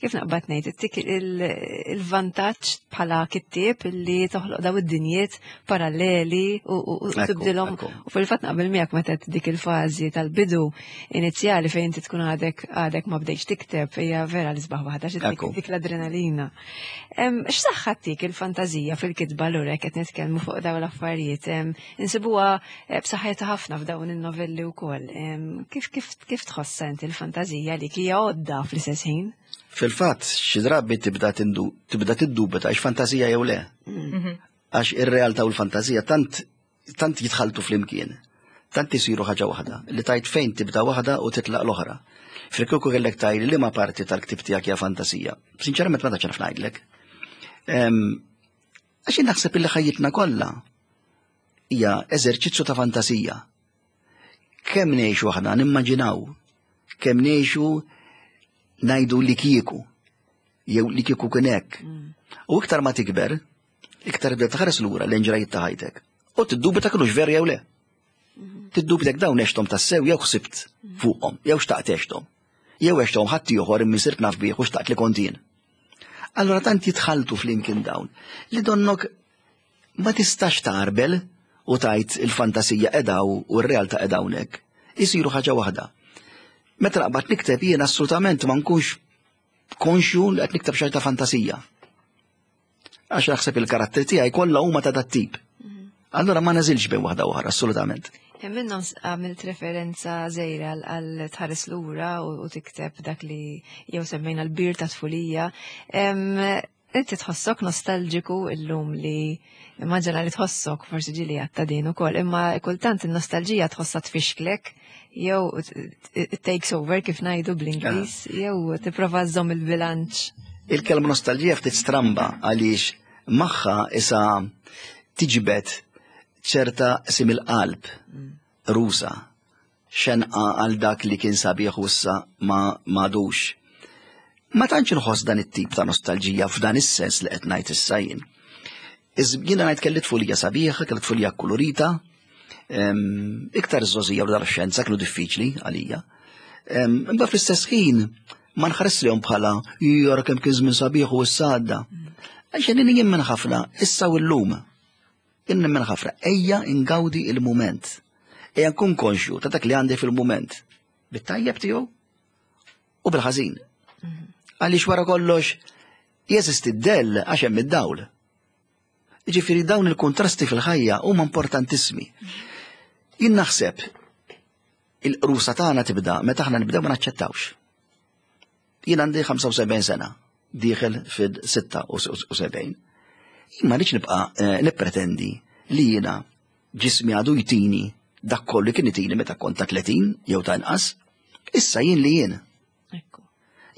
kif naqbad ngħid, tik il-vantaġġ bħala kittieb li toħloq daw id-dinjiet paralleli u tibdilhom. U fil-fatt naqbel miegħek meta dik il-fażi tal-bidu inizjali fejn inti tkun għadek għadek ma bdejx tikteb hija vera l-isbaħ waħda xi dik l-adrenalina. X'saħħa tik il-fantażija fil-kitba lura qed nitkellmu fuq dawn l-affarijiet. Insibuha eh, b'saħħitha ħafna f'dawn in-novelli wkoll. Kif kif kif tħossha inti l-fantażija li hija għodda fl-istess ħin? Fil-fatt, xi drabi tibda tibda tiddubita għax fantażija jew le. Mhm. Għax ir-realtà u l-fantażija tant tant jitħaltu flimkien, tant isiru ħaġa waħda, li tajt fejn tibda waħda u titlaq l-oħra. Frikkuku kellek tajli li ma parti tal-ktib tiegħek hija fantasija. Sinċerament ma tantx naf ngħidlek. Għax jien naħseb illi ħajjitna kollha hija eżerċizzju ta' fantasija. Kemm ngħixu aħna nimmaġinaw, kemm ngħixu ngħidu li kieku, jew li kieku kien hekk. Mm. U iktar ma tikber, iktar tibda tħares lura lejn ġrajiet ta' ħajtek. U tiddubita kinux veri jew le. Mm-hmm. Tiddubita dawn għexthom tassew jew ħsibt mm-hmm. fuqhom, jew xtaqt għexthom. Jew għexthom ħadd ieħor imma sirt naf bih u xtaqt li kont jien. Allora tant jitħaltu flimkien dawn li donnok ma tistax tarbel u tajt il-fantasija edaw u r-realtà edawnek. Isiru ħaġa waħda. Meta naqbad nikteb jien assolutament ma nkunx konxju li qed nikteb xi ta' fantasija. Għax naħseb il-karatteri tiegħi kollha huma ta' dat-tip. Mhm. Allura ma neżilx bejn waħda oħra, assolutament. Hemm minnhom għamilt referenza żejra għal tħares lura u tikteb dak li jew semmejna l-bir ta' tfulija. Inti tħossok nostalġiku illum li immaġina li tħossok forsi ġili għatta din ukoll, imma kultant in-nostalġija tħossha tfixklek jew it takes over kif ngħidu bl-Ingliż, ah. jew tipprova żżomm il-bilanċ. Il-kelma nostalġija ftit stramba għaliex magħha isa tiġbed ċerta sim il-qalb mm. rusa xenqa għal dak li kien sabiħ u issa ma m'għadux. Ma tantx inħoss dan it-tip ta' nostalġija f'dan is-sens li qed ngħid issa jien. Jiena ngħid kelli tfulija sabiħa, kelli tfulija kkulurita, iktar iż-żgħożija u l-adolescenza kienu diffiċli għalija. Imma fl-istess ħin ma nħares lihom bħala jara kemm kien żmien sabiħ u issa għadda. Għax jien jemmen ħafna issa u llum. Jien nemmen ħafna ejja ingawdi il-mument. Ejja nkun konxju ta' dak li għandi fil-mument. Bit-tajjeb tiegħu u bil-ħażin. Mhm. Għaliex wara kollox jeżisti d-dell għax hemm id-dawl. Jiġifieri dawn il-kuntrasti fil-ħajja huma importantissimi. Jien naħseb il-qrusa tagħna tibda meta aħna nibdew ma naċċettawx. Jien għandi 75 sena, dieħel fil-76. Jien ma rridx nibqa' eh, nippretendi li jiena ġismi għadu jtini dak kollu kien itini meta kont ta' 30 jew ta' inqas. Issa jien li jien.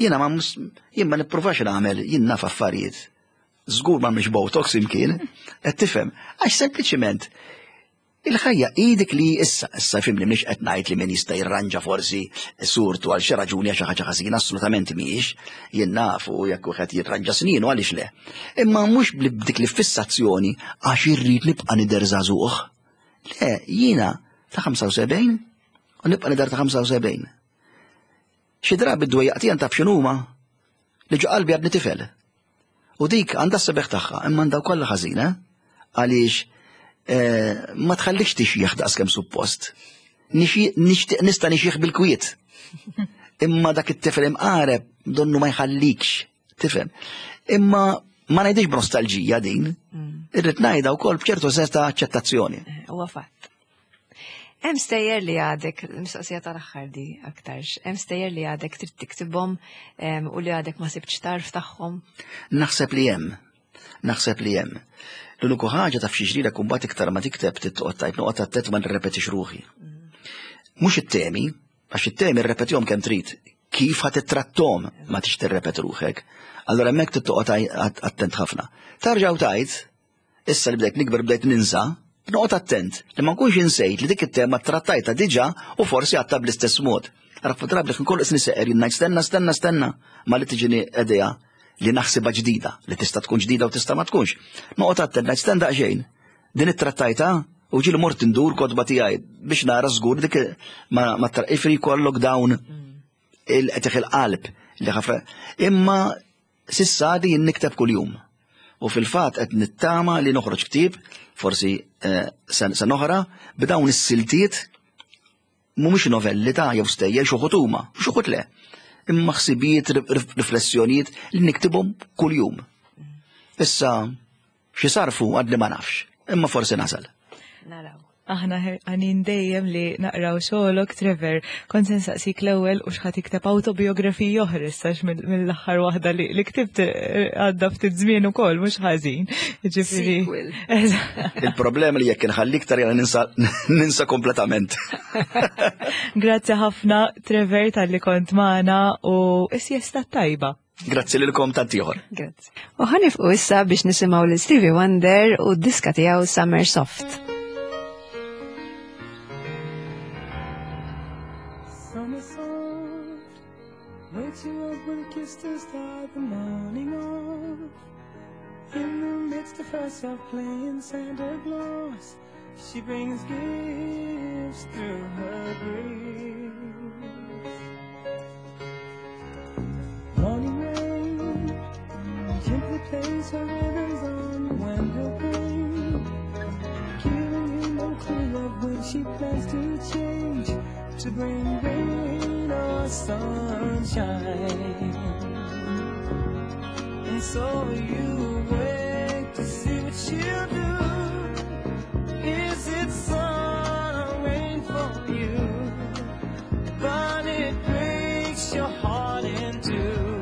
Jiena ma jien ma nippruvax nagħmel jien naf affarijiet. Żgur ma mhix botox imkien, qed tifhem, għax sempliċiment il-ħajja hi dik li issa, issa fimni mhix qed ngħid li min jista' jirranġa forsi surtu għal xi raġuni għal xi ħaġa ħażina, assolutament mhijiex, jien nafu jekk wieħed jirranġa sninu għaliex le. Imma mhux b'dik li fissazzjoni għax irrid nibqa' nidher żagħżugħ. Le, jiena ta' 75 u nibqa' nidher ta' 75. Xi drabi d-dwejjaq tiegħi taf x'inhuma? Li ġo qalbi għadni tifel. U dik għandha s-sebeħ tagħha, imma għandha wkoll ħażina, għaliex eh, ma tħallikx tixjieħ daqs kemm suppost. Nixtieq nista' nixjieħ bil-kwiet. Imma dak it-tifel imqareb donnu ma jħallikx, tifhem. Imma ma ngħidix b'nostalġija din, irrid ngħidha wkoll b'ċertu sens ta' aċċettazzjoni. Eh, huwa fatt. Hemm stejjer li għadek, mistoqsija tal-aħħar di aktarx, hemm stejjer li għadek trid tiktibhom u li għadek ma sibtx tarf tagħhom? Naħseb li hemm. Naħseb li hemm. L-uniku ħaġa taf xi ġrida kumbat iktar ma tikteb titqgħod tajt noqgħod attent ma nirrepetix ruħi. Mhux it-temi, għax it-temi rrepetihom kemm trid, kif ħa tittrattom ma tix tirrepet ruħek. Allora hemmhekk tittoqgħod attent ħafna. Tarġaw tajt, Issa li bdejt nikber bdejt ninsa, noqgħod attent li ma nkunx insejt li dik it-tema trattajta diġà u forsi għadtha bl-istess mod. Ara drabi li nkun qisni seqer jien ngħid stenna stenna stenna ma li tiġini idea li naħsibha ġdida, li tista' tkun ġdida u tista' ma tkunx. Noqgħod attent ngħid stenna daqsxejn. Din ittrattajta u ġieli mort indur kotba tiegħi biex nara żgur dik ma ma ifri jkollok dawn il-qetih il-qalb li ħafna. Imma S'issa għadi jien nikteb kuljum. U fil-fatt qed nittama li noħroġ ktieb, forsi eh, sena oħra, b'dawn is-siltiet mhumiex novelli ta' jew stejjer xi wħud huma, xi wħud le. Imma ħsibijiet, riflessjonijiet li niktibhom kuljum. Issa Xi sarfu għadni ma nafx, imma forsi nasal. Naraw. Aħna ħerqanin dejjem li naqraw xogħolok, Trevor. Kont se nsaqsik l-ewwel u x'ħa tikteb awtobiografiji oħra issa mill-aħħar waħda li ktibt eh, għadda ftit żmien ukoll mhux ħażin. Ġifieri. Il-problema li jekk inħalli iktar jara ninsa ninsa kompletament. Grazzi ħafna Trevor talli kont magħna u is-siesta tajba. Grazzi lilkom tant ieħor. Grazzi. U ħanifqu issa biex nisimgħu lil Stevie Wonder u d-diska tiegħu Summer Soft. Summer soft Wakes you up with a kiss to start the morning off In the midst of herself playing Santa Claus She brings gifts through her grace. Morning rain gently plays her ribbons on the window pane, giving you no clue of when she plans to change to bring rain or sunshine. And so you wait to see what she'll do. Is it sun or rain for you? But it breaks your heart in two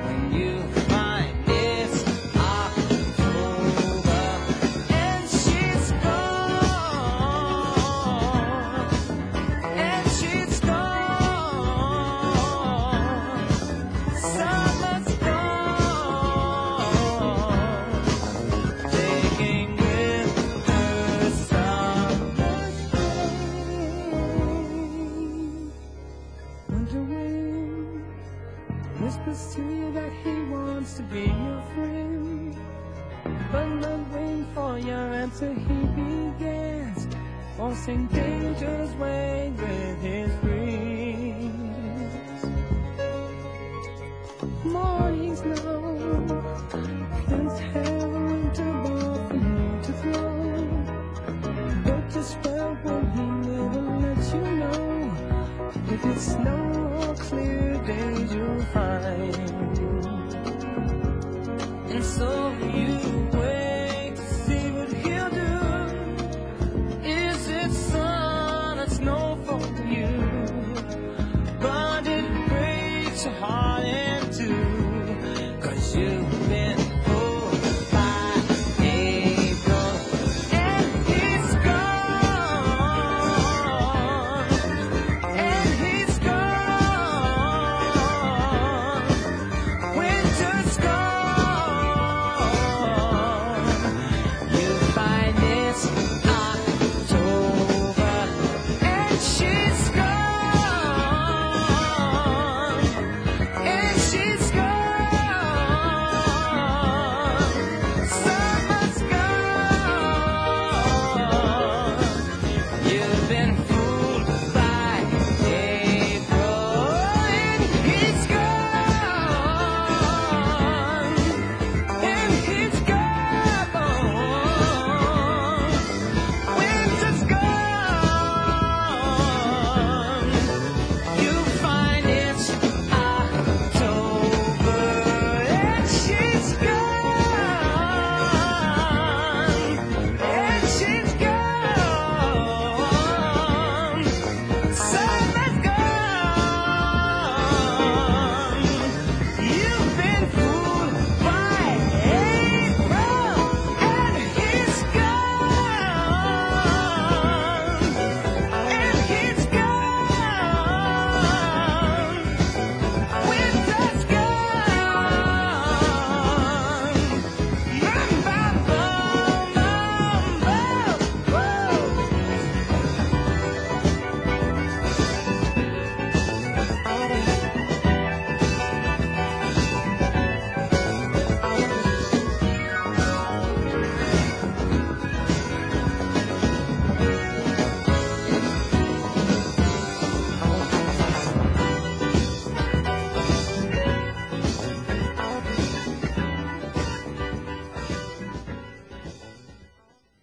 when you find it's October and she's gone. And she's gone. Summer's gone. Taking with her summer's rain. Winter wind whispers to you that he wants to be your friend. But not waiting for your answer, he begins forcing danger's way with his breeze. Morning snow plans to have a winter ball for you to throw. But just well will he never let you know if it's snow or clear days you'll find. And so you wait to see what he'll do. Is it sun or snow for you?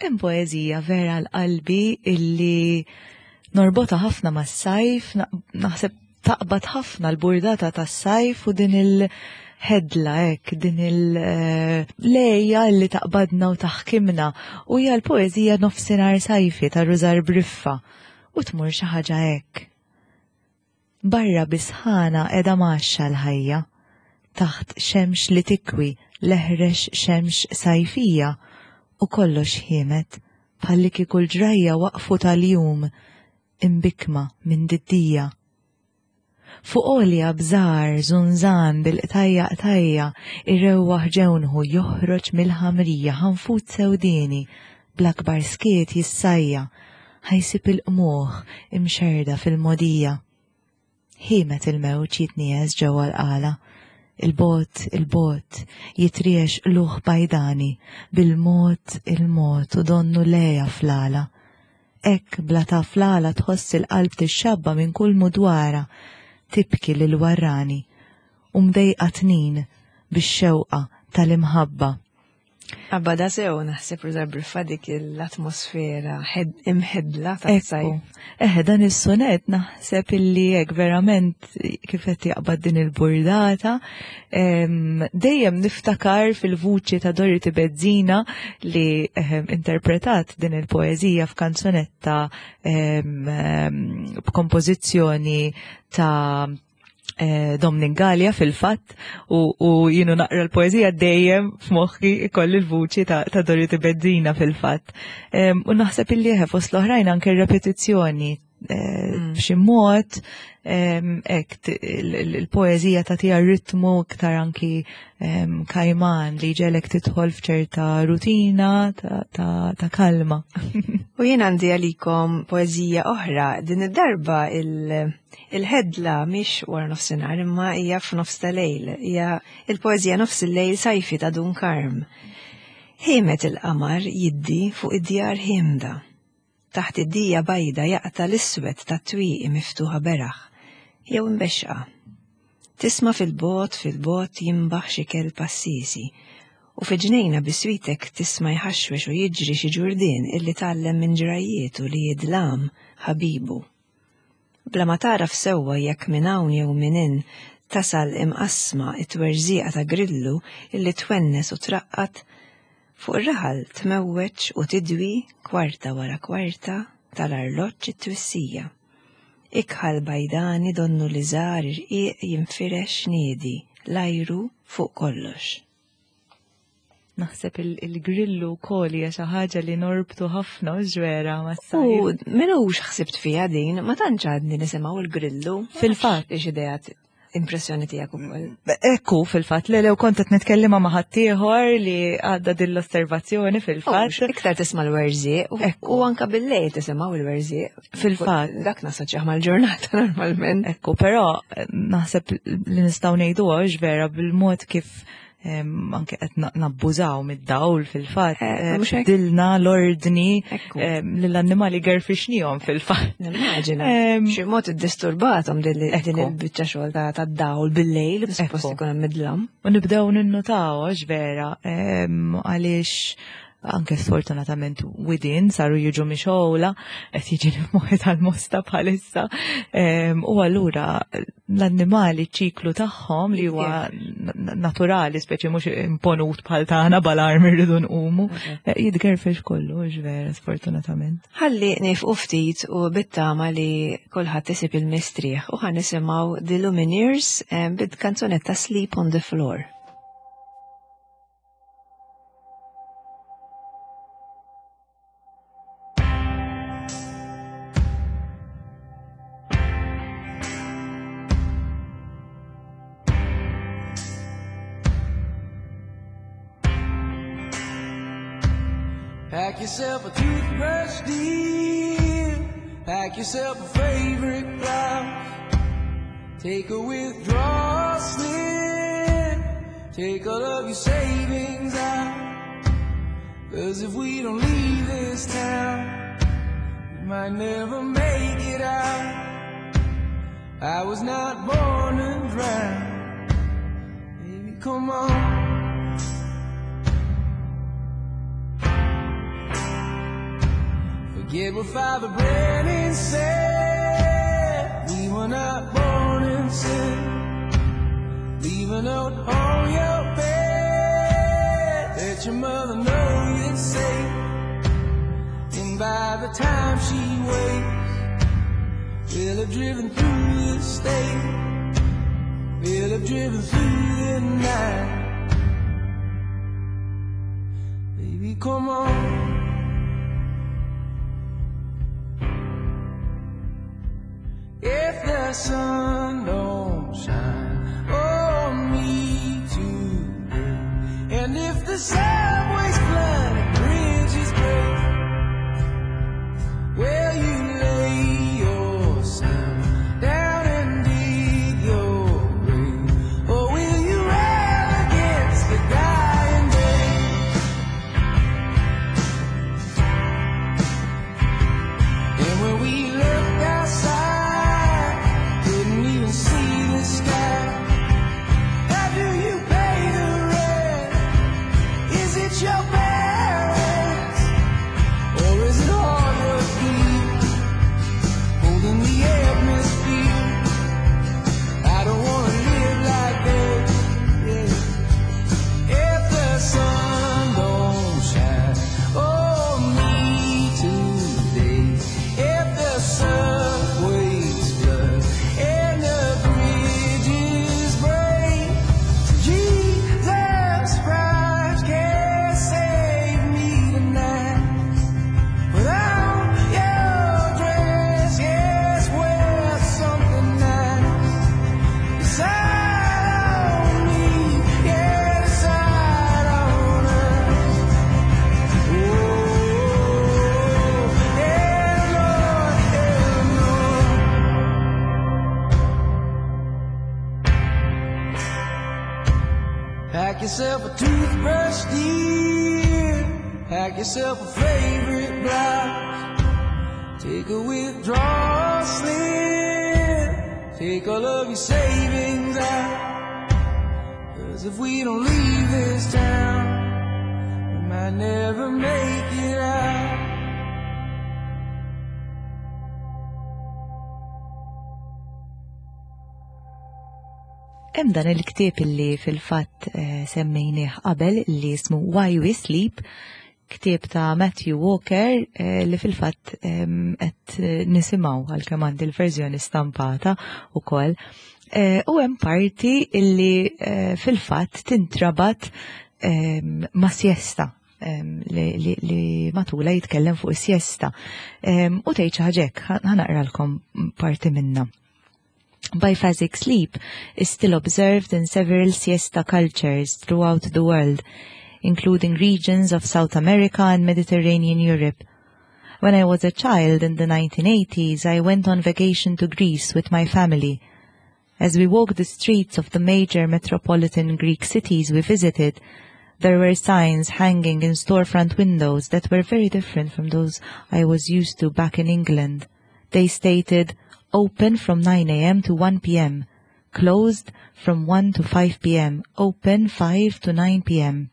Hemm poeżija vera l-qalbi illi norbota ħafna mas-sajf, naħseb taqbad ħafna l-burdata tas-sajf u din il-ħedla hekk, din il-lejja eh, li taqbadna u taħkimna u hija l-poeżija Nofsinhar Sajfi ta' Rużar Briffa u tmur xi ħaġa hekk. Barra bi sħana qiegħda mgħaxxa l-ħajja, taħt xemx li tikwi l-eħrex xemx sajfija u kollox ħiemed bħallikieku l-ġrajja waqfu tal-jum imbikkma minn diddija. Fuq għolja bżar żunżan bil-qtajja qtajja irewwaħ ġewnħu joħroġ mill-ħamrija ħanfut sewdieni bl-akbar skiet jissajja ħa jsib il-qmuħ imxerrda fil-mogħdija. Ħiemed il-mewġ jitniegħes ġewwa l-qala, 'il bogħod, 'il bogħod, jitriegħex qlugħ bajdani, bil-mod, il-mod u donnu l-għeja fl-għala. Hekk bla taf l-għala tħoss il-qalb tixxabba minn kull mudwara, tibki lill-warrani, u mdejqa tnin bix-xewqa tal-imħabba. Abbada sew naħseb Rosa Briffa dik l-atmosfera imħedla ta' sajf. Eħe, dan is-sonet naħseb illi hekk verament kif qed jaqbad din il-burdata. Dejjem niftakar fil-vuċi ta' Dorothy Bezzina li interpretat din il-poeżija f'kanzunetta b'kompożizzjoni ta' Eh, Dominic Gallia fil-fatt u, u jienu naqra l-poezija dejjem f'moħħi ikolli l-vuċi ta', ta Dorothy Bezzina fil-fatt. U naħseb illi eħe fost l-oħrajn anke repetizzjoni eh, b'xi mod hekk il-poeżija tagħtiha ritmu iktar anki kajman li ġelek tidħol f'ċerta rutina ta' kalma. U jien għandi għalikom poeżija oħra din id-darba il- Il-ħedla mhix wara nofsinhar imma hija f'nofs ta' lejl, hija il-poeżija Nofs il-lejl sajfi ta' Dun Karm. Ħiemet il-qamar jiddi fuq id-djar ħiemda. Taħt id-dija bajda jaqta' l-iswed tat-twieqi miftuħa beraħ, jew imbexxqa. Tisma' fil-bogħod fil-bogħod jinbaħ xi kelb għassiesi, u fi ġnejna biswitek tisma' jħaxwex u jiġri xi ġurdien illi tgħallem minn ġrajjietu li d-dlam ħabibu. Bla ma tagħraf sewwa jekk minn hawn jew minn hinn tasal imqassma t-twerżieqa ta' grillu illi twennes u traqqad, fuq ir-raħal tmewweġ u tidwi kwarta wara kwarta tal-arloġġ it-twissija. Ikħal bajdani donnu liżar irqiq jinfirex niedi l-ajru fuq kollox. Naħseb il-grillu wkoll hija xi ħaġa li norbtu ħafna u ġwera mas-sajf. U minux ħsibt fiha din, ma tantx għadni nisimgħu l-grillu. Fil-fatt. Ix ideat impressjoni tiegħek ukoll. Ekku, fil-fatt, le lew kont qed nitkellimha ma' ħaddieħor li għadda din l-osservazzjoni fil-fatt. Iktar tisma' l-werżieq u anka bil-lejl tisimgħu l-werżieq. Fil-fatt. Dak nasoċjaħ mal-ġurnata normalment. Ekku, però naħseb li nistgħu ngħidu vera bil-mod kif anke qed nabbużaw mid-dawl fil-fatt. Eh, eh, dilna l-ordni lill-annimali gerfixnihom fil-fatt. Nimmaġina. Xi mod iddisturbathom din il-biċċa xogħol tad-dawl bil-lejl, suppost ikun hemm midlam. U nibdew ninnutaw għax vera għaliex anke sfortunatament widin saru jiġu mixola, qed jiġi moħi tal-mosta bħalissa. U allura l-annimali ċiklu tagħhom li huwa naturali, speċi mhux imponut bħal tagħna bal-arm irridu nqumu, eh, jitgerfex kollu, vera, sfortunatament. Ħalli nifqu ftit u bittama li kulħadd isib il-mistrieħ u ħan nisimgħu The Lumineers bid-kanzunetta Sleep on the Floor. Pack yourself a toothbrush, dear. Pack yourself a favorite blouse. Take a withdrawal slip. Take all of your savings out. Cause if we don't leave this town, we might never make it out. I was not born to drown. Baby, come on. Forget what Father Brennan said. We were not born in sin. Leave a note on your bed. Let your mother know you're safe. And by the time she wakes, we'll have driven through the state. We'll have driven through the night. Baby, come on. If the sun don't shine on me today, and if the subway's flood and bridges break, will you lay yourself down and dig your grave, or will you rail against the dying day? And when we looked outside, couldn't even see the sky. How do you pay the rent? Is it your parents? Or is it all your feet holding the atmosphere? I don't wanna live like that. Yeah. If the sun don't shine on me today, if the subway's flood and the bridges break, Jesus Christ can't save me tonight. Put on your dress, yes, wear something nice. Decide on me, yeah, decide on us. Oh, Eleanor, Eleanor. Pack yourself a toothbrush, dear. Pack yourself a favorite blouse. Take a withdrawal slip. Take all of your savings out. 'Cause if we don't leave this town, we might never make it out. Hemm dan il-ktieb illi fil-fatt semmejnieh qabel li jismu Why We Sleep, ktieb ta' Matthew Walker li fil-fatt qed nisimgħu għalkemm għandi l-verżjoni stampata wkoll. U hemm parti illi fil-fatt tintrabat ma' siesta. Li matula jitkellem fuq is-siesta. U tgħid xi ħaġa hekk, ħa naqralkom parti minna. Biphasic sleep is still observed in several siesta cultures throughout the world, including regions of South America and Mediterranean Europe. When I was a child in the 1980s, I went on vacation to Greece with my family. As we walked the streets of the major metropolitan Greek cities we visited, there were signs hanging in storefront windows that were very different from those I was used to back in England. They stated, open from 9 a.m. to 1 p.m., closed from 1 to 5 p.m., open 5 to 9 p.m.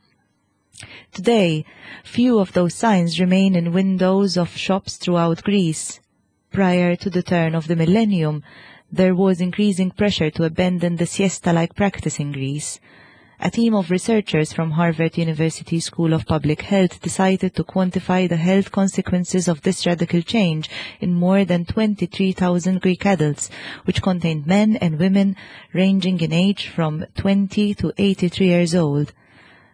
Today, few of those signs remain in windows of shops throughout Greece. Prior to the turn of the millennium, there was increasing pressure to abandon the siesta-like practice in Greece. A team of researchers from Harvard University School of Public Health decided to quantify the health consequences of this radical change in more than 23,000 Greek adults, which contained men and women ranging in age from 20 to 83 years old.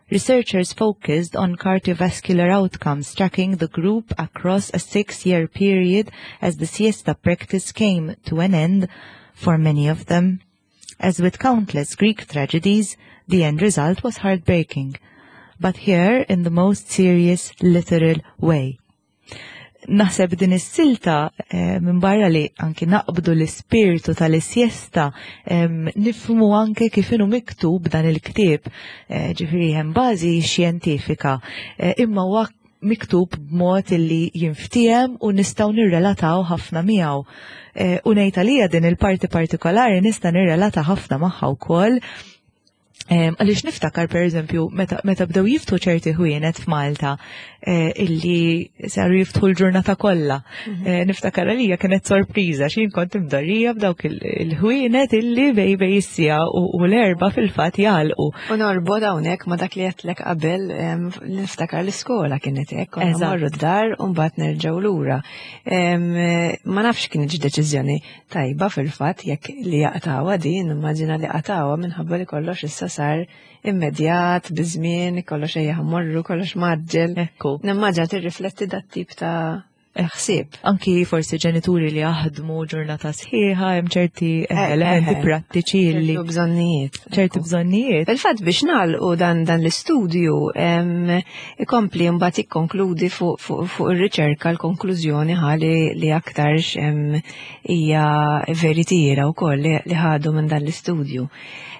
Researchers focused on cardiovascular outcomes, tracking the group across a 6-year period as the siesta practice came to an end for many of them. As with countless Greek tragedies, the end result was heartbreaking, but here in the most serious, literal way. Naħseb din is-silta minn barra li anki naqbdu l-ispirtu tal-siesta, nifhmu anke kif inhu miktub dan il-ktieb, ġifieri hemm bażi xjentifika, imma huwa miktub b'mod illi jinftiehem u nistgħu nirrelataw ħafna miegħu. U ngħid għalija din il-parti partikolari nista' nirrelata ħafna magħha wkoll. Għaliex niftakar per eżempju meta bdew jiftu ċerti ħwienet f'Malta. Illi saru jiftħu l-ġurnata kollha. Niftakar għalija kienet sorpriża x'jien kont imdorrija b'dawk il-ħwienet illi bej is-siegħa u l-4 fil-fatt jagħlqu. U norbod hawnhekk ma dak li għedtlek qabel, niftakar l-iskola kienet hekk, konna morru d-dar u mbagħad nerġgħu lura. Ma nafx kienx deċiżjoni tajba fil-fatt jekk li jaqtawha din, immaġina li qatawha minħabba li kollox issa sar immedjat, biżmien, kollox ejja ħammorru, kollox maġġel. Nimmaġina tirrifletti dat tip ta' ħsieb. Anki forsi ġenituri li jaħdmu ġurnata sħiħa, hemm ċerti elementi prattiċi li ċertu bżonnijiet. ċertu bżonnijiet. Fil-fatt biex nagħlqu dan l-istudju, ikompli mbagħad ikkonkludi fuq ir-riċerka l-konklużjoni ħali li aktarx hija veritiera wkoll li ħadu minn dan l-istudju.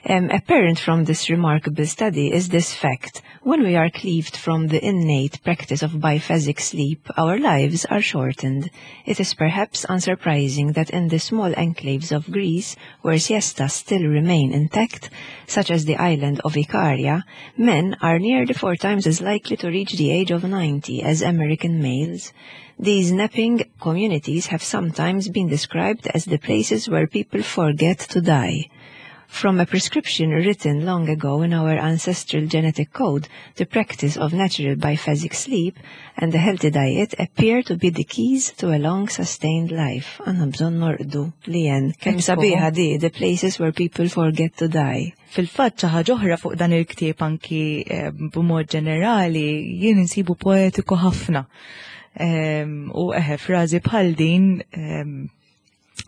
Apparent from this remarkable study is this fact. When we are cleaved from the innate practice of biphasic sleep, our lives are shortened. It is perhaps unsurprising that in the small enclaves of Greece, where siestas still remain intact, such as the island of Icaria, men are nearly 4 times as likely to reach the age of 90 as American males. These napping communities have sometimes been described as the places where people forget to die. From a prescription written long ago in our ancestral genetic code, the practice of natural biphasic sleep and a healthy diet appear to be the keys to a long sustained life. Għandna bżonn norqdu li jen. Kemm sabiħa di, the places where people forget to die. Fil-fatt xi ħaġa oħra fuq dan il-ktieb anki b'mod ġenerali jien insibu poetiku ħafna. U frażi bħal din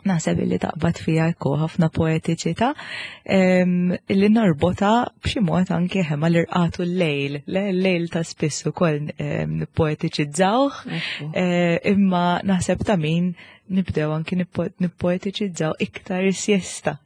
naħseb li taqbad fija ekku ħafna poetiċità, li norbota b'xi mod anke mal-irqatu l-lejl, l-lejl ta' spiss ukoll nippoetiċizzawh, imma naħseb ta' min nibdew anke nippoetiċizzaw iktar is-siesta.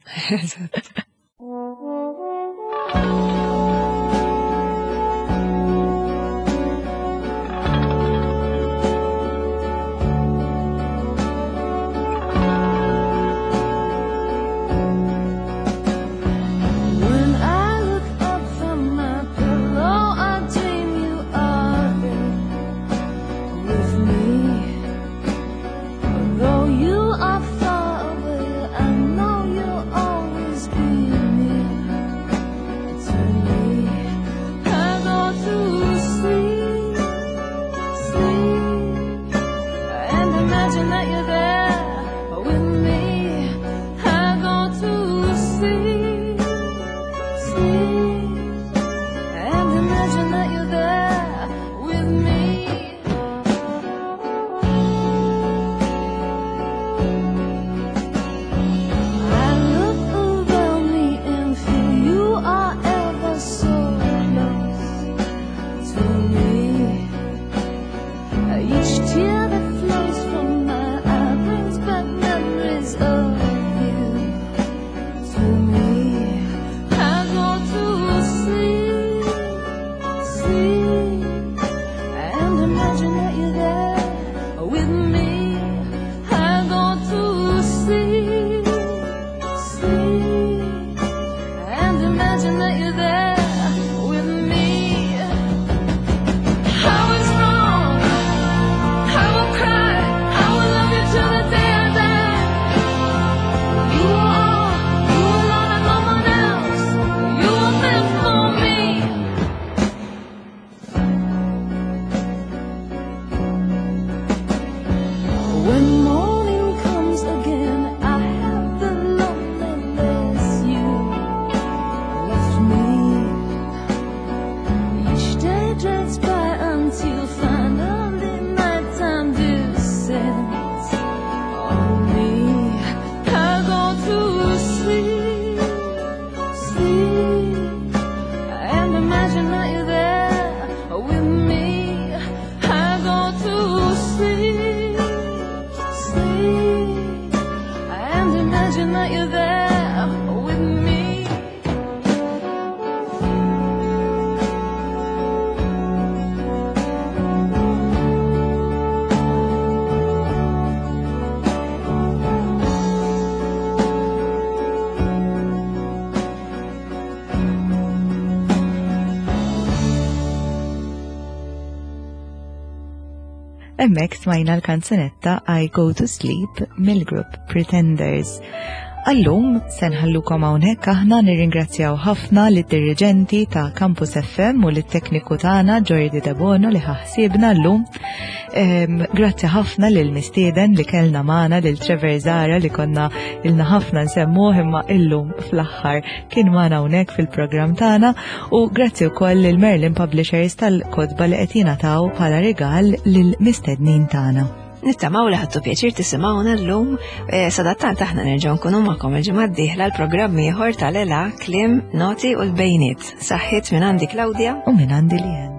Hemmhekk smajna l-kanzunetta I Go to Sleep mill-grupp Pretenders. Allum se nħallukom hawnhekk aħna nirringrazzjaw ħafna lid-diriġenti ta' Campus FM u lit-tekniku tagħna Jordi Debono li ħaħsiebna llum. Grazzi ħafna lil mistieden li kellna magħna lil Trevor Zara li konna ilna ħafna nsemmuh imma illum fl-aħħar kien magħna hawnhekk fil-programm tagħna u grazzi wkoll lil Merlin Publishers tal-kotba li qed jingħataw bħala rigal lil mistednin tagħna. Nittamaw li ħadtu pjaċir tisimgħuna llum, eh, sadattant aħna nerġgħu nkunu magħkom il-ġimgħa d-dieħla l-programm ieħor tal-ela, kliem, noti u l-bejniet. Saħħiet minn għandi Claudia u minn għandi Lien.